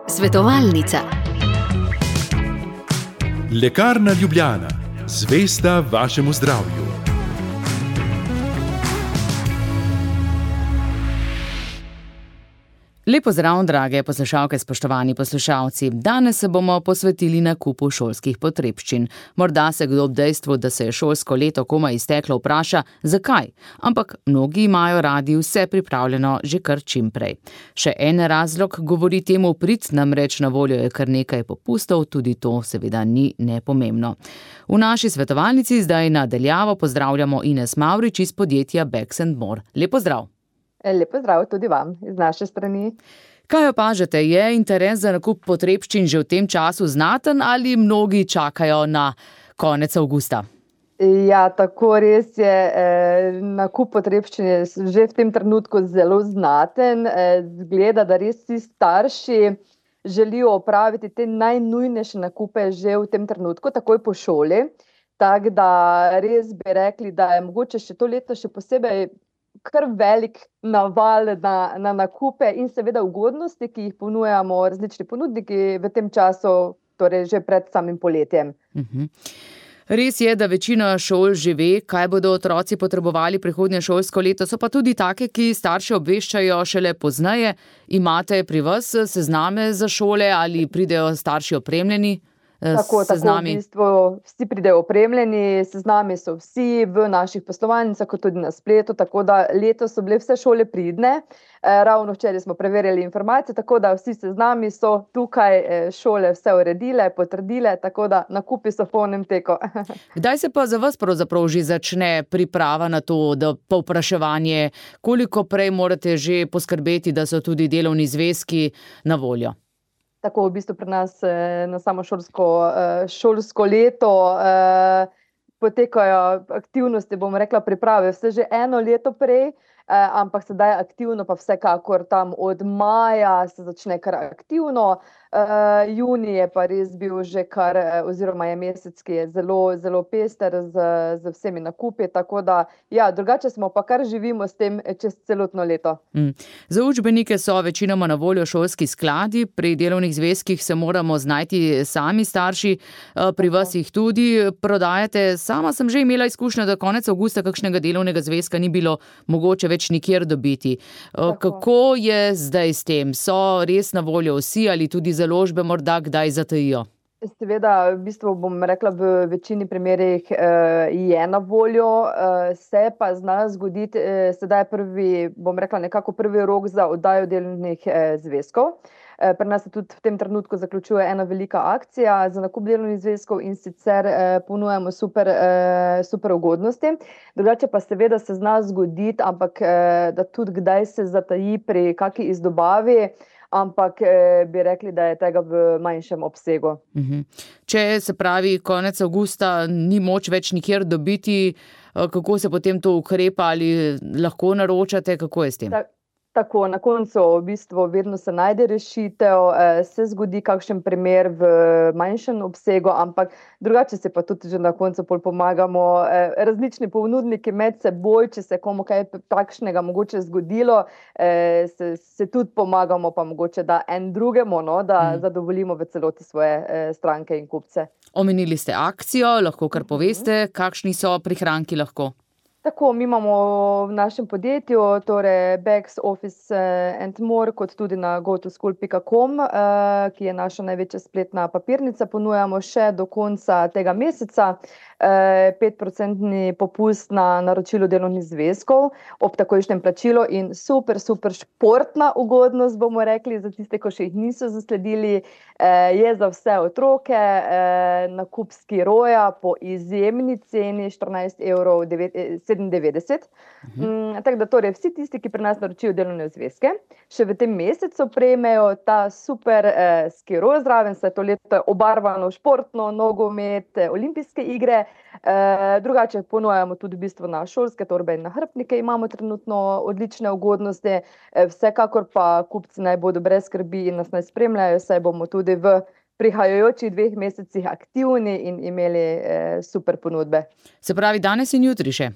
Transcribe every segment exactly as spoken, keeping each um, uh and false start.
Svetovalnica. Lekarna Ljubljana, zvesta vašemu zdravju. Lep pozdrav, drage poslušalke, spoštovani poslušalci. Danes se bomo posvetili nakupu šolskih potrebščin. Morda se kdo ob dejstvu, da se je šolsko leto komaj izteklo, vpraša, zakaj? Ampak mnogi imajo radi vse pripravljeno že kar čim prej. Še en razlog govori temu v prid, namreč na voljo je kar nekaj popustov, tudi to seveda ni nepomembno. V naši svetovalnici zdaj na daljavo pozdravljamo Ines Mavrič iz podjetja Bags and More. Lep pozdrav. Lep pozdrav tudi vam iz naše strani. Kaj opažate, je interes za nakup potrebščin že v tem času znaten ali mnogi čakajo na konec avgusta? Ja, tako res je. Nakup potrebščin je že v tem trenutku zelo znaten. Zgleda, da res vsi starši želijo opraviti te najnujnejše nakupe že v tem trenutku, takoj po šoli. Tako da res bi rekli, da je mogoče še to leto še posebej kar velik naval na, na nakupe in seveda ugodnosti, ki jih ponujamo različni ponudniki v tem času, torej že pred samim poletjem. Uh-huh. Res je, da večina šol že ve, kaj bodo otroci potrebovali prihodnje šolsko leto, so pa tudi take, ki starše obveščajo šele pozneje. Imate pri vas sezname za šole ali pridejo starši opremljeni? Tako, tako v bistvu vsi pridejo opremljeni, seznami so vsi v naših poslovalnicah, kot tudi na spletu, tako da letos so bile vse šole pridne. Ravno včeraj smo preverjali informacije, tako da vsi seznami so tukaj, šole vse uredile, potrdile, tako da nakupi so v polnem teku. Kdaj se pa za vas pravzaprav že začne priprava na to, da povpraševanje, koliko prej morate že poskrbeti, da so tudi delovni zvezki na voljo? Tako v bistvu pri nas na samo šolsko, šolsko leto potekajo aktivnosti, bom rekla, priprave vse že eno leto prej, ampak sedaj aktivno pa vsekakor tam od maja se začne kar aktivno. Junij je pa res bil že kar, oziroma je mesec, ki je zelo, zelo pester z, z vsemi nakupi, tako da ja, drugače smo pa kar živimo s tem čez celotno leto. Mm. Za učbenike so večinoma na voljo šolski skladi, pri delovnih zvezkih se moramo znajti sami starši, pri vas jih tudi prodajate. Sama sem že imela izkušnjo, da konec avgusta kakšnega delovnega zvezka ni bilo mogoče več nikjer dobiti. Tako. Kako je zdaj s tem? So res na voljo vsi ali tudi založbe morda kdaj zatajijo? Seveda, v bistvu bom rekla, v večini primerih eh, je na voljo, eh, se pa zna zgoditi, eh, sedaj prvi, bom rekla, nekako prvi rok za oddajo delovnih eh, zvezkov. Eh, pri nas se tudi v tem trenutku zaključuje ena velika akcija za nakup delovnih zvezkov in sicer eh, ponujamo super, eh, super ugodnosti. Drugače pa seveda se zna zgoditi, ampak eh, da tudi kdaj se zataji pri kaki izdobavi, ampak eh, bi rekli, da je tega v manjšem obsegu. Uh-huh. Če se pravi, konec avgusta ni moč več nikjer dobiti, kako se potem to ukrepa, ali lahko naročate, kako je s tem? Ta- Tako, na koncu v bistvu vedno se najde rešitev, eh, se zgodi kakšen primer v manjšem obsegu, ampak drugače se pa tudi že na koncu pol pomagamo eh, različni ponudniki med seboj, če se komu kaj takšnega mogoče zgodilo, eh, se, se tudi pomagamo pa mogoče, da en drugemu, no, da hmm. zadovoljimo v celoti svoje eh, stranke in kupce. Omenili ste akcijo, lahko kar poveste, kakšni so prihranki lahko? Tako, mi imamo v našem podjetju, torej Bags, Office and More, kot tudi na go to school pika com, ki je naša največja spletna papirnica, ponujamo še do konca tega meseca petprocentni popust na naročilo delovnih zvezkov ob takojšnjem plačilu in super, super športna ugodnost, bomo rekli, za tiste, ko še jih niso zasledili, je za vse otroke, nakup skiroja po izjemni ceni štirinajst evrov sedemindevetdeset. Uh-huh. Tako da torej vsi tisti, ki pri nas naročijo delovne zvezke, še v tem mesecu prejmejo ta super eh, skiro zraven, saj to leto obarvano športno, nogomet, olimpijske igre. Eh, drugače ponujamo tudi v bistvu na šolske torbe in nahrbtnike, imamo trenutno odlične ugodnosti, eh, vsekakor pa kupci naj bodo brez skrbi in nas naj spremljajo, saj bomo tudi v prihajajočih dveh mesecih aktivni in imeli eh, super ponudbe. Se pravi, danes in jutri še?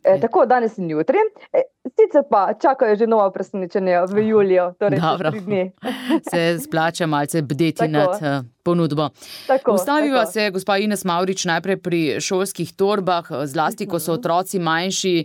E, tako, danes in jutri. E, sicer pa čakajo že nova presenečenja v juliju, torej Dobro. tri dni. Se splača malce bdeti Tako. nad uh, ponudbo. Tako, Ustaviva tako. se, gospa Ines Mavrič, najprej pri šolskih torbah, zlasti, ko so otroci manjši.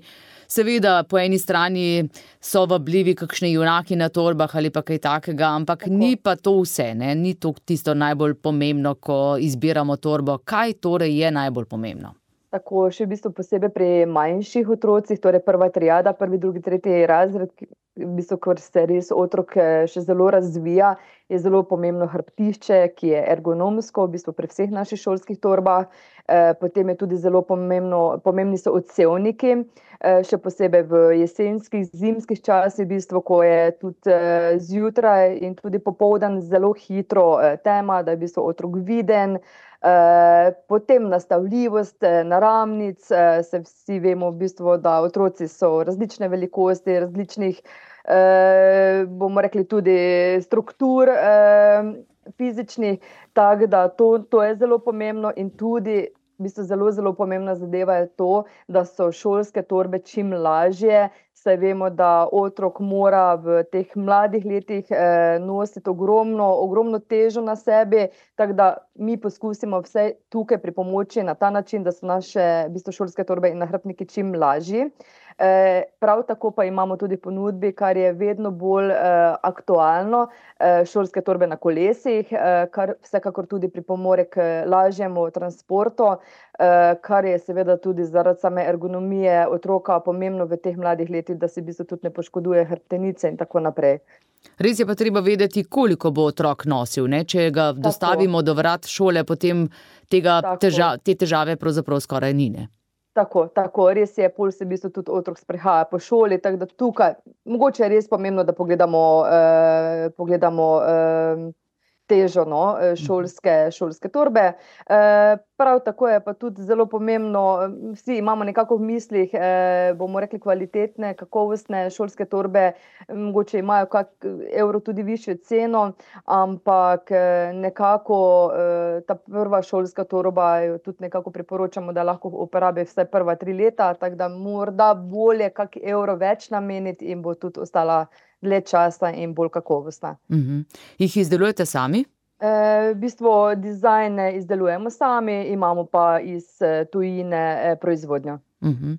Seveda, po eni strani so vabljivi kakšni junaki na torbah ali pa kaj takega, ampak Tako. ni pa to vse, ne? Ni to tisto najbolj pomembno, ko izbiramo torbo. Kaj torej je najbolj pomembno? Tako, še v bistvu posebej pri manjših otrocih, torej prva triada, prvi, drugi, tretji razred, ki- v bistvu, ker se res otrok eh, še zelo razvija, je zelo pomembno hrbtišče, ki je ergonomsko, v bistvu pri vseh naših šolskih torbah. Eh, Potem je tudi zelo pomembno, pomembni so odsevniki, eh, še posebej v jesenskih, zimskih časih, v bistvu, ko je tudi eh, zjutraj in tudi popoldan zelo hitro eh, tema, da je v bistvu otrok viden. Eh, Potem nastavljivost eh, naramnic, eh, se vsi vemo v bistvu, da otroci so različne velikosti, različnih, eh, bomo rekli tudi struktur eh, fizičnih, tako da to, to je zelo pomembno in tudi v bistvu zelo, zelo pomembna zadeva je to, da so šolske torbe čim lažje, saj vemo, da otrok mora v teh mladih letih eh, nositi ogromno, ogromno težo na sebi, tako da mi poskusimo vse tukaj pripomoči na ta način, da so naše v bistvu šolske torbe in nahrbtniki čim lažji. Eh, prav tako pa imamo tudi v ponudbi, kar je vedno bolj eh, aktualno, eh, šolske torbe na kolesih, eh, kar vsekakor tudi pripomore k lažjemu transportu, eh, kar je seveda tudi zaradi same ergonomije otroka pomembno v teh mladih letih, da se v bistvu tudi ne poškoduje hrbtenice in tako naprej. Res je pa treba vedeti, koliko bo otrok nosil, ne? Če ga dostavimo do vrat šole, potem tega Tako. teža, te težave pravzaprav skoraj ni, ne? Tako, tako, res je, pol se v bistvu tudi otrok sprehaja po šoli, tako da tukaj, mogoče je res pomembno, da pogledamo, eh, pogledamo eh, težo no, eh, šolske, šolske torbe. Eh, prav tako je pa tudi zelo pomembno, eh, vsi imamo nekako v mislih, eh, bomo rekli kvalitetne, kakovostne šolske torbe, eh, mogoče imajo kak evro tudi višjo ceno, ampak eh, nekako eh, ta prva šolska torba jo tudi nekako priporočamo, da lahko uporabi vsaj prva tri leta, tako da morda bolje kak evro več nameniti in bo tudi ostala dlje časa in bolj kakovostna. Mhm. Jih izdelujete sami? Eh, v bistvu dizajne izdelujemo sami, imamo pa iz eh, tujine eh, proizvodnjo. Mhm.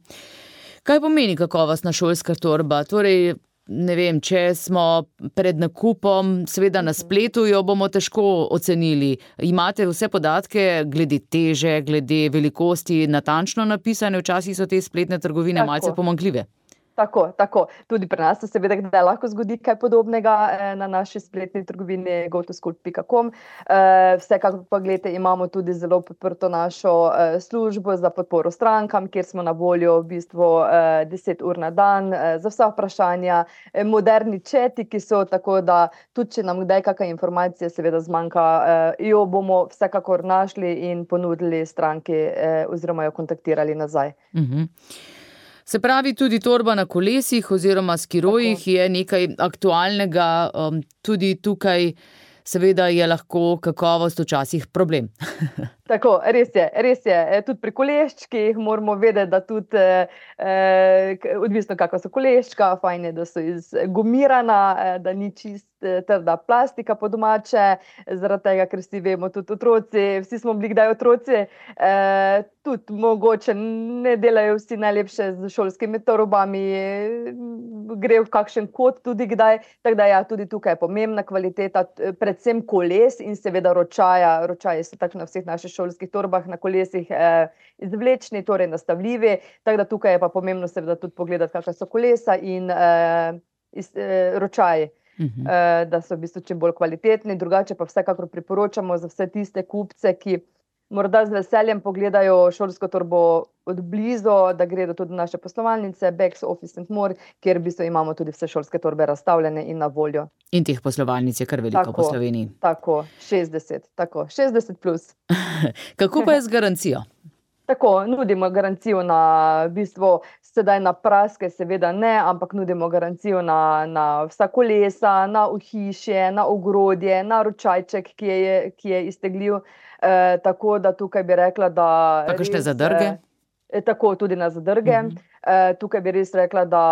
Kaj pomeni kakovostna šolska torba? Torej, ne vem, če smo pred nakupom, seveda na spletu jo bomo težko ocenili. Imate vse podatke glede teže, glede velikosti natančno napisane, včasih so te spletne trgovine Tako. malce pomanjkljive. Tako, tako. Tudi pri nas se seveda kdaj lahko zgodi kaj podobnega eh, na naši spletni trgovini go to school pika com. Eh, vsekakor pa gledajte, imamo tudi zelo podprto našo eh, službo za podporo strankam, kjer smo na voljo v bistvu eh, deset ur na dan eh, za vsa vprašanja, eh, moderni četi, ki so, tako da tudi če nam kdaj kakšna informacija seveda zmanjka, eh, jo bomo vsekakor našli in ponudili stranki eh, oziroma jo kontaktirali nazaj. Mhm. Se pravi, tudi torba na kolesih oziroma skirojih je nekaj aktualnega, um, tudi tukaj seveda je lahko kakovost včasih problem. Tako, res je, res je. E, Tudi pri koleščkih moramo vedeti, da tudi, eh, k- odvisno kakva so koleščka, fajn je, da so iz gumirana, eh, da ni čist eh, trda plastika po domače, zaradi tega, ker vsi vemo, tudi otroci, vsi smo bili kdaj otroci, eh, tudi mogoče ne delajo vsi najlepše z šolskimi torbami, eh, gre v kakšen kot tudi kdaj, tako da ja, tudi tukaj je pomembna kvaliteta, t- predvsem koles in seveda ročaja. Ročaji so tako na vseh naših šolskih torbah na kolesih eh, izvlečni, torej nastavljivi, tako da tukaj je pa pomembno seveda tudi pogledati, kakšna so kolesa in eh, iz, eh, ročaji, Mhm. eh, da so v bistvu čim bolj kvalitetni. Drugače pa vsekakor priporočamo za vse tiste kupce, ki morda z veseljem pogledajo šolsko torbo od blizu, da gredo tudi v naše poslovalnice, Becks, Office and More, kjer v bistvu imamo tudi vse šolske torbe razstavljene in na voljo. In teh poslovalnic je kar veliko po Tako. Sloveniji. Tako, šestdeset, tako, šestdeset plus. Kako pa je z garancijo? Tako, nudimo garancijo na, v bistvu, sedaj na praske seveda ne, ampak nudimo garancijo na, na vsa kolesa, na ohišje, na ogrodje, na ročajček, ki je, ki je iztegljiv. Eh, tako da tukaj bi rekla, da Pa kakšne res, zadrge? eh, Tako, tudi na zadrge. Mhm. Uh, tukaj bi res rekla, da,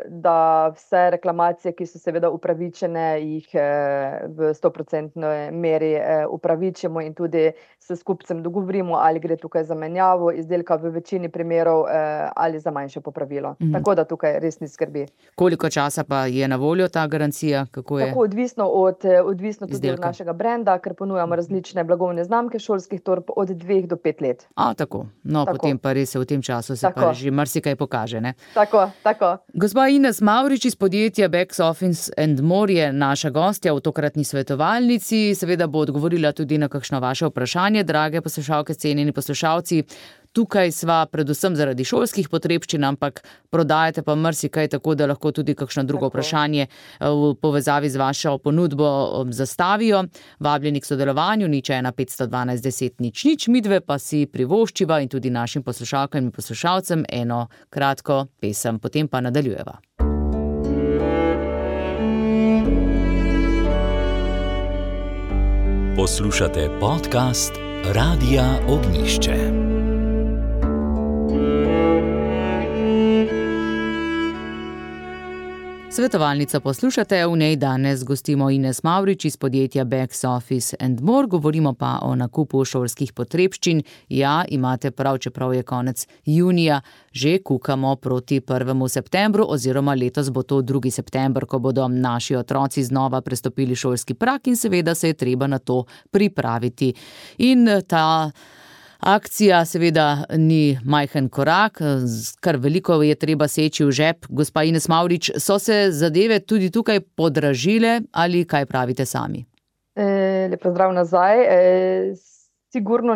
da vse reklamacije, ki so seveda upravičene, jih uh, v sto procentni meri uh, upravičimo in tudi se s kupcem dogovorimo, ali gre tukaj za menjavo izdelka v večini primerov uh, ali za manjše popravilo. Mm. Tako da tukaj res ni skrbi. Koliko časa pa je na voljo ta garancija? Kako je? Tako, odvisno, od, odvisno tudi izdelka. Od našega brenda, ker ponujamo različne blagovne znamke šolskih torb od dveh do pet let. A, tako. No, tako. Potem pa res v tem času se tako. Pa že marsikaj pokaže, ne? Tako, tako. Gospa Ines Mavrič iz podjetja Back Office and More je naša gostja v tokratni svetovalnici. Seveda bo odgovorila tudi na kakšno vaše vprašanje, drage poslušalke, cenjeni poslušalci. Tukaj sva predvsem zaradi šolskih potrebščin, ampak prodajate pa marsikaj, tako da lahko tudi kakšno drugo tako. Vprašanje v povezavi z vašo ponudbo zastavijo. Vabljeni k sodelovanju, nič ena petsto dvanajst deset nič nič, midve pa si privoščiva in tudi našim poslušalkam in poslušalcem eno kratko pesem, potem pa nadaljujeva. Poslušate podcast Radia Ognjišče. Svetovalnica poslušate, v njej danes gostimo Ines Mavrič iz podjetja Back Office and More, govorimo pa o nakupu šolskih potrebščin. Ja, imate prav, čeprav je konec junija, že kukamo proti prvemu septembru, oziroma letos bo to drugi september, ko bodo naši otroci znova prestopili šolski prag in seveda se je treba na to pripraviti. In ta akcija seveda ni majhen korak, kar veliko je treba seči v žep. Gospa Ines Mavrič, so se zadeve tudi tukaj podražile ali kaj pravite sami? E, lep pozdrav nazaj. E, sigurno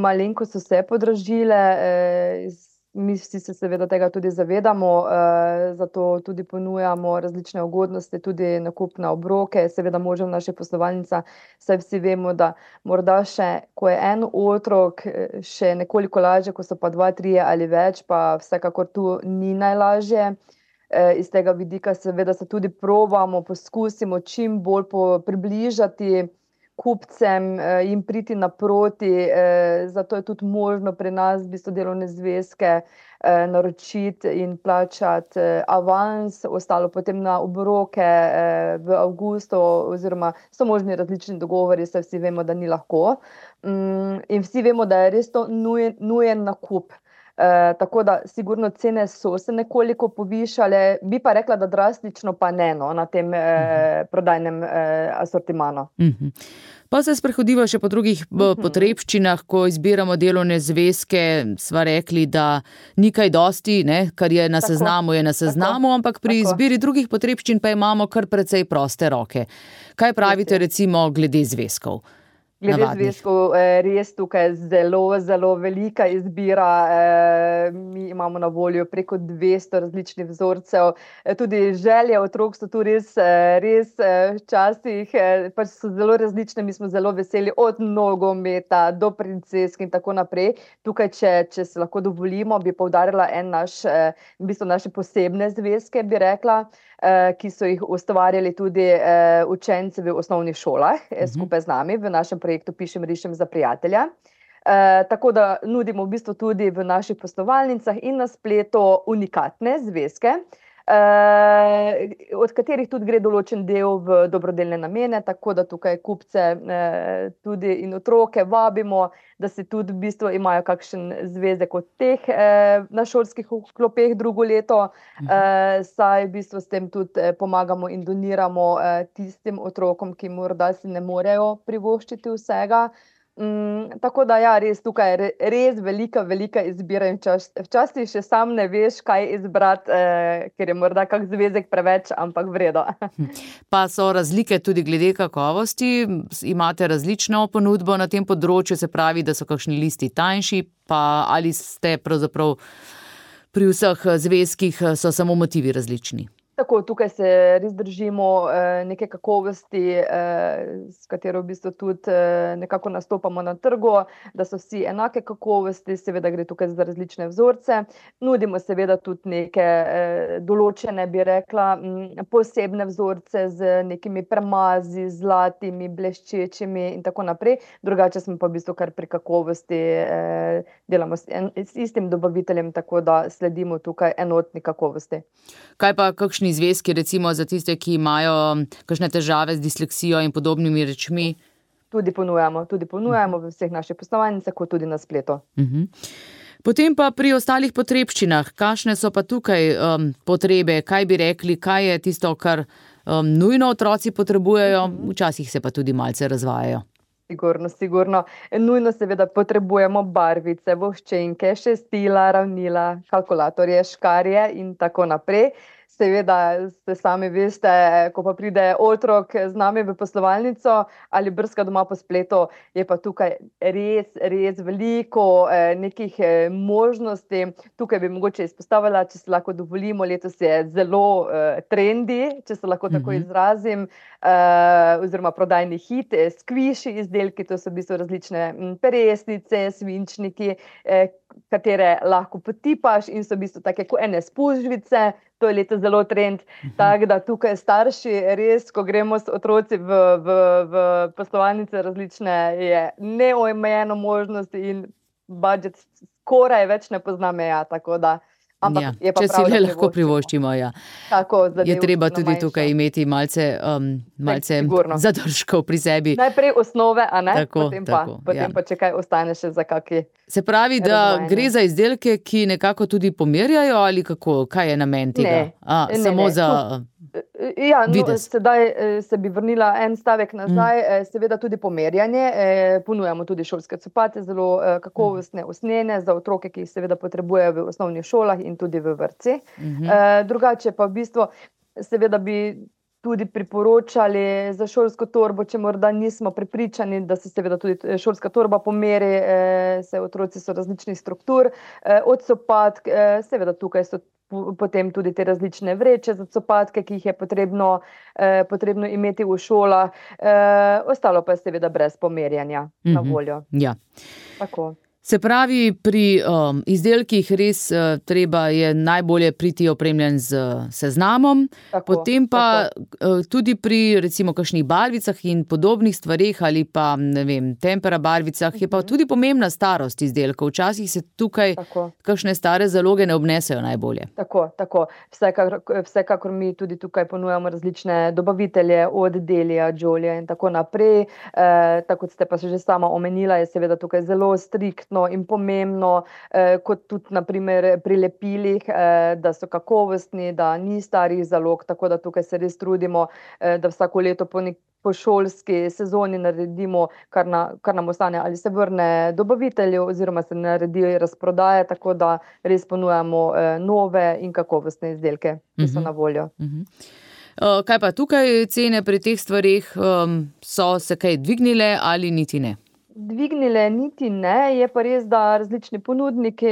malenko so se podražile, e, mi vsi se seveda tega tudi zavedamo, e, zato tudi ponujamo različne ugodnosti, tudi nakup na obroke, seveda možem naše poslovalnica, saj vsi vemo, da morda še, ko je en otrok, še nekoliko lažje, ko so pa dva, trije ali več, pa vsekakor tu ni najlažje. E, iz tega vidika seveda se tudi probamo, poskusimo čim bolj približati kupcem, jim priti naproti, zato je tudi možno pri nas v bistvu delovne zvezke naročiti in plačati avans, ostalo potem na obroke v avgustu, oziroma so možni različni dogovori, saj vsi vemo, da ni lahko. In vsi vemo, da je res to nujen, nujen nakup. Uh, tako da sigurno cene so se nekoliko povišale, bi pa rekla, da drastično pa ne, no, na tem uh -huh. eh, prodajnem eh, asortimanu. Uh -huh. Pa se sprehodiva še po drugih uh -huh. potrebščinah, ko izbiramo delovne zvezke, sva rekli, da ni kaj dosti, ne, kar je na tako. Seznamu, je na seznamu, tako. Ampak pri tako. Izbiri drugih potrebščin pa imamo kar precej proste roke. Kaj pravite recimo glede zvezkov? Glede zvezkov, res tukaj zelo, zelo velika izbira. Mi imamo na voljo preko dvesto različnih vzorcev. Tudi želje otrok so tu res, res včasih, pač so zelo različne. Mi smo zelo veseli od nogometa do princesk in tako naprej. Tukaj, če, če se lahko dovolimo, bi poudarila en naš, v bistvu naše posebne zvezke, bi rekla, ki so jih ustvarjali tudi učenci v osnovnih šolah, uh-huh. skupaj z nami v našem projektu Pišem, rišem za prijatelja. E, tako da nudimo v bistvu tudi v naših poslovalnicah in na spletu unikatne zvezke, e, od katerih tudi gre določen del v dobrodelne namene, tako da tukaj kupce e, tudi in otroke vabimo, da se tudi v bistvu imajo kakšen zvezek od teh e, na šolskih klopeh drugo leto, e, saj v bistvu s tem tudi pomagamo in doniramo e, tistim otrokom, ki morda si ne morejo privoščiti vsega. Mm, tako da ja, res tukaj je res velika, velika izbira in včasih še sam ne veš, kaj izbrati, eh, ker je morda kak zvezek preveč, ampak vredo. Pa so razlike tudi glede kakovosti, imate različno ponudbo na tem področju, se pravi, da so kakšni listi tanjši, pa ali ste pravzaprav pri vseh zvezkih so samo motivi različni? Tako, tukaj se res držimo eh, neke kakovosti, eh, s katero v bistvu tudi eh, nekako nastopamo na trgu, da so vsi enake kakovosti, seveda gre tukaj za različne vzorce. Nudimo seveda tudi neke eh, določene, bi rekla, m, posebne vzorce z nekimi premazi, zlatimi, bleščečimi in tako naprej. Drugače smo pa v bistvu kar pri kakovosti, eh, delamo s, en, s istim dobaviteljem, tako da sledimo tukaj enotni kakovosti. Kaj pa kakšni zvezki, recimo za tiste, ki imajo kakšne težave z disleksijo in podobnimi rečmi? Tudi ponujamo, tudi ponujamo v vseh naših poslovalnicah, kot tudi na spletu. Uh-huh. Potem pa pri ostalih potrebščinah, kakšne so pa tukaj um, potrebe, kaj bi rekli, kaj je tisto, kar um, nujno otroci potrebujejo, včasih se pa tudi malce razvajajo. Sigurno, sigurno. Nujno seveda potrebujemo barvice, voščenke, šestila, ravnila, kalkulatorje, škarje in tako naprej. Seveda, ste sami veste, ko pa pride otrok z nami v poslovalnico ali brska doma po spletu, je pa tukaj res, res veliko eh, nekih eh, možnosti. Tukaj bi mogoče izpostavila, če se lahko dovolimo, letos je zelo eh, trendi, če se lahko tako izrazim, eh, oziroma prodajni hit, eh, skviši izdelki, to so v bistvu različne m, peresnice, svinčniki, eh, katere lahko potipaš in so v bistvu take kot ene spužvice. To je letos zelo trend, tako da tukaj starši res, ko gremo s otroci v, v, v poslovalnice različne, je neomejeno možnosti in budžet skoraj več ne pozna meja, tako da. Ampak Ja, je pa če prav, si da le lahko privoščimo, ja. Tako, Je zadev treba bistveno tudi manjša. tukaj imeti malce, um, malce sigurno. zadržkov pri sebi. Najprej osnove, a ne? Tako, potem pa, tako, potem ja. pa če kaj ostane še za kaki. Se pravi, da Razvajanje. gre za izdelke, ki nekako tudi pomerjajo ali kako, kaj je namen tega? Ne, A, ne, samo ne, za... Ja, no, Videz. sedaj eh, se bi vrnila en stavek nazaj, mm. seveda tudi pomerjanje, eh, ponujamo tudi šolske copate, zelo eh, kakovostne usnjene za otroke, ki jih seveda potrebujejo v osnovnih šolah in tudi v vrtcih. Mhm. Eh, drugače pa v bistvu seveda bi tudi priporočali za šolsko torbo, če morda nismo prepričani, da se seveda tudi šolska torba pomeri, eh, se otroci so različnih struktur, eh, od copatk, eh, seveda tukaj so potem tudi te različne vreče za copatke, ki jih je potrebno, eh, potrebno imeti v šolah, eh, ostalo pa je seveda brez pomerjanja na Mhm. voljo. Ja. Tako. Se pravi, pri um, izdelkih res uh, treba je najbolje priti opremljen z uh, seznamom, Tako, potem pa uh, tudi pri recimo kakšnih barvicah in podobnih stvareh ali pa ne vem, tempera barvicah je pa tudi pomembna starost izdelkov. Včasih se tukaj Tako. kakšne stare zaloge ne obnesejo najbolje. Tako, tako. Vsekakor, vsekakor mi tudi tukaj ponujamo različne dobavitelje od Delija, Jolija in tako naprej. E, tako kot ste pa že sama omenila, je seveda tukaj zelo striktno in pomembno, eh, kot tudi naprimer pri lepilih, eh, da so kakovostni, da ni starih zalog, tako da tukaj se res trudimo, eh, da vsako leto po nek po šolski sezoni naredimo, kar, na, kar nam ostane, ali se vrne dobavitelju oziroma se naredi razprodaje, tako da res ponujamo eh, nove in kakovostne izdelke, ki so Mhm. na voljo. Mhm. Uh, kaj pa tukaj cene pri teh stvareh, um, so se kaj dvignile ali niti ne? Dvignile niti ne, je pa res, da različni ponudniki,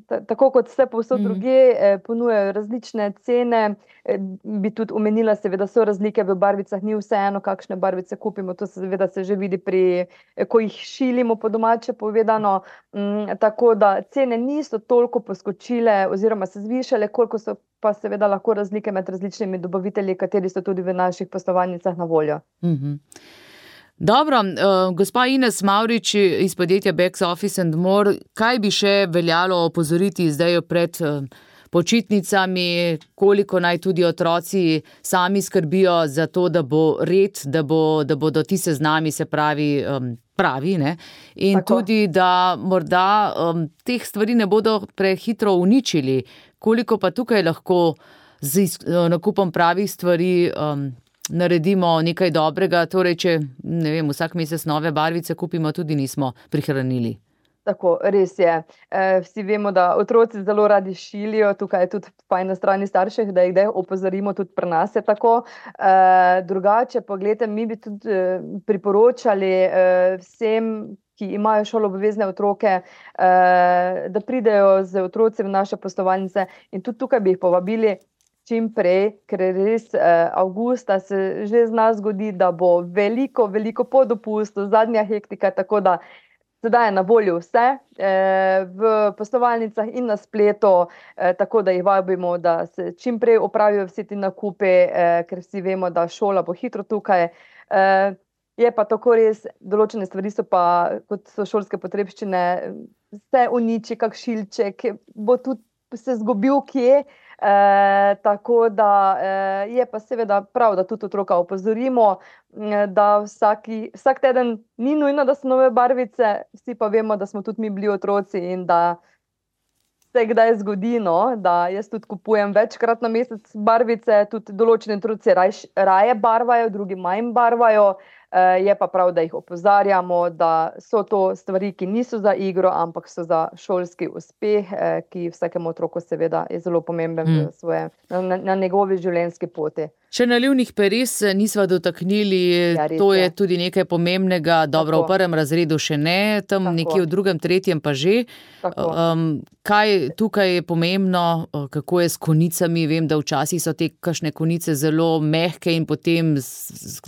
ta- tako kot vse povsod Mhm. drugje, eh, ponujajo različne cene. Eh, Bi tudi omenila, seveda so razlike v barvicah, ni vseeno, kakšne barvice kupimo, to seveda se že vidi pri, eh, ko jih šilimo po domače povedano. Mm, tako da cene niso toliko poskočile oziroma se zvišale, koliko so pa seveda lahko razlike med različnimi dobavitelji, kateri so tudi v naših poslovalnicah na voljo. Mhm. Dobro, uh, gospa Ines Mavrič iz podjetja Back Office and More, kaj bi še veljalo opozoriti zdaj pred uh, počitnicami, koliko naj tudi otroci sami skrbijo za to, da bo red, da, bo, da bodo ti seznami, se pravi, um, pravi, ne? In Tako. tudi, da morda um, teh stvari ne bodo prehitro uničili, koliko pa tukaj lahko z is- nakupom pravih stvari um, naredimo nekaj dobrega, torej če ne vem, vsak mesec nove barvice kupimo, tudi nismo prihranili. Tako, res je. E, vsi vemo, da otroci zelo radi šilijo, tukaj je tudi fajn na strani staršev, da jih kdaj opozorimo, tudi pri nas je tako. E, drugače pa gledajte, mi bi tudi e, priporočali e, vsem, ki imajo šoloobvezne otroke, eh, da pridejo z otroci v naše poslovalnice in tudi tukaj bi jih povabili, čim prej, ker res eh, avgusta se že zna zgodi, da bo veliko, veliko po dopustu, zadnja hektika, tako da sedaj je na voljo vse eh, v poslovalnicah in na spletu, eh, tako da jih vabimo, da se čim prej opravijo vsi ti nakupi, eh, ker vsi vemo, da šola bo hitro tukaj. Eh, je pa tako res, določene stvari so pa, kot so šolske potrebščine, se uniči, kak šilček, bo tudi se zgubil kje, eh, tako da eh, je pa seveda prav, da tudi otroka opozorimo, da vsaki, vsak teden ni nujno, da so nove barvice, vsi pa vemo, da smo tudi mi bili otroci in da se kdaj zgodi, no, da jaz tudi kupujem večkrat na mesec barvice, tudi določeni otroci raj, raje barvajo, drugi manj barvajo, eh, je pa prav, da jih opozarjamo, da so to stvari, ki niso za igro, ampak so za šolski uspeh, eh, ki vsakemu otroku seveda je zelo pomemben mm. v svoje, na, na njegovi življenjski poti. Še nalivnih peres nisva dotaknili, ja, to je tudi nekaj pomembnega, dobro, tako. V prvem razredu še ne, tam tako. Nekje v drugem, tretjem pa že. Um, kaj tukaj je pomembno, kako je s konicami? Vem, da včasih so te kakšne konice zelo mehke in potem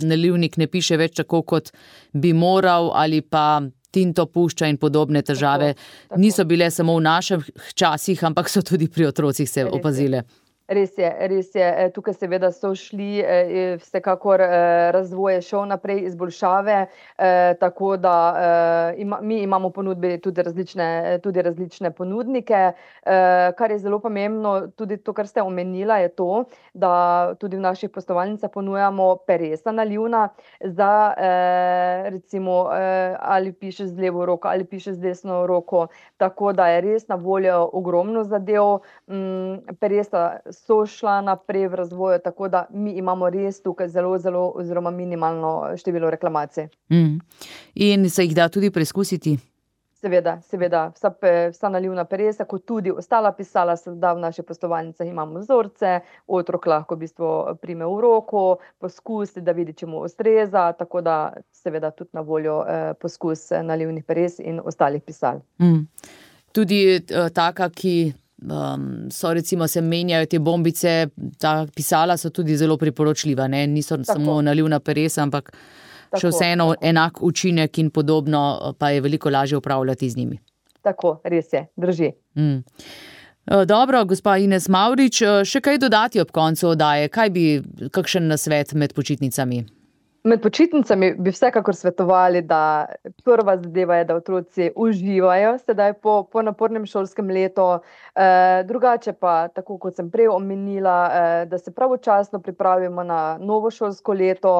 nalivnik ne piše več tako, kot bi moral, ali pa tinto pušča in podobne težave. Tako, tako. Niso bile samo v naših časih, ampak so tudi pri otrocih se opazile. Res je, res je. Tukaj seveda so šli vsekakor razvoj šel naprej, izboljšave, tako da ima, mi imamo ponudbe tudi različne, tudi različne ponudnike. Kar je zelo pomembno, tudi to, kar ste omenila, je to, da tudi v naših poslovalnicah ponujamo peresa nalivna za recimo ali piše z levo roko ali piše z desno roko, tako da je res na voljo ogromno zadev. Peresa so šla naprej v razvoju, tako da mi imamo res tukaj zelo, zelo oziroma minimalno število reklamacij. Mm. In se jih da tudi preizkusiti? Seveda, seveda. Vsa, vsa nalivna peresa, kot tudi ostala pisala, se da v naših poslovalnicah imamo vzorce, otrok lahko v bistvu prime v roko, poskusi, da vidi, če mu ustreza, tako da seveda tudi na voljo eh, poskus nalivnih peres in ostalih pisal. Mm. Tudi eh, taka, ki Um, so recimo se menjajo te bombice, ta pisala so tudi zelo priporočljiva, ne? Niso tako. Samo nalivna peresa, ampak tako, še vseeno tako. Enak učinek in podobno, pa je veliko lažje upravljati z njimi. Tako, res je, drži. Mm. Dobro, gospa Ines Mavrič, še kaj dodati ob koncu oddaje? Kaj bi, kakšen nasvet med počitnicami? Med počitnicami bi vsekakor svetovali, da prva zadeva je, da otroci uživajo sedaj po, po napornem šolskem letu. E, drugače pa, tako kot sem prej omenila, e, da se pravočasno pripravimo na novo šolsko leto,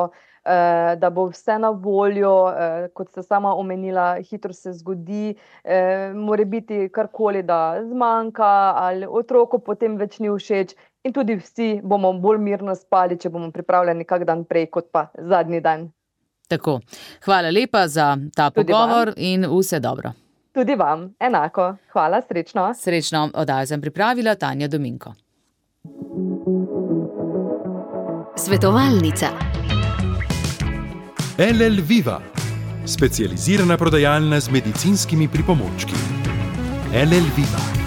e, da bo vse na voljo, e, kot ste sama omenila, hitro se zgodi, e, more biti karkoli, da zmanjka ali otroku potem več ni všeč. In tudi vsi bomo bolj mirno spali, če bomo pripravljeni kak dan prej, kot pa zadnji dan. Tako. Hvala lepa za ta tudi pogovor vam. In vse dobro. Tudi vam, enako. Hvala, srečno. Srečno, oddajo sem pripravila Tanja Dominko. Svetovalnica. L L Viva, specializirana prodajalna z medicinskimi pripomočki. L L Viva.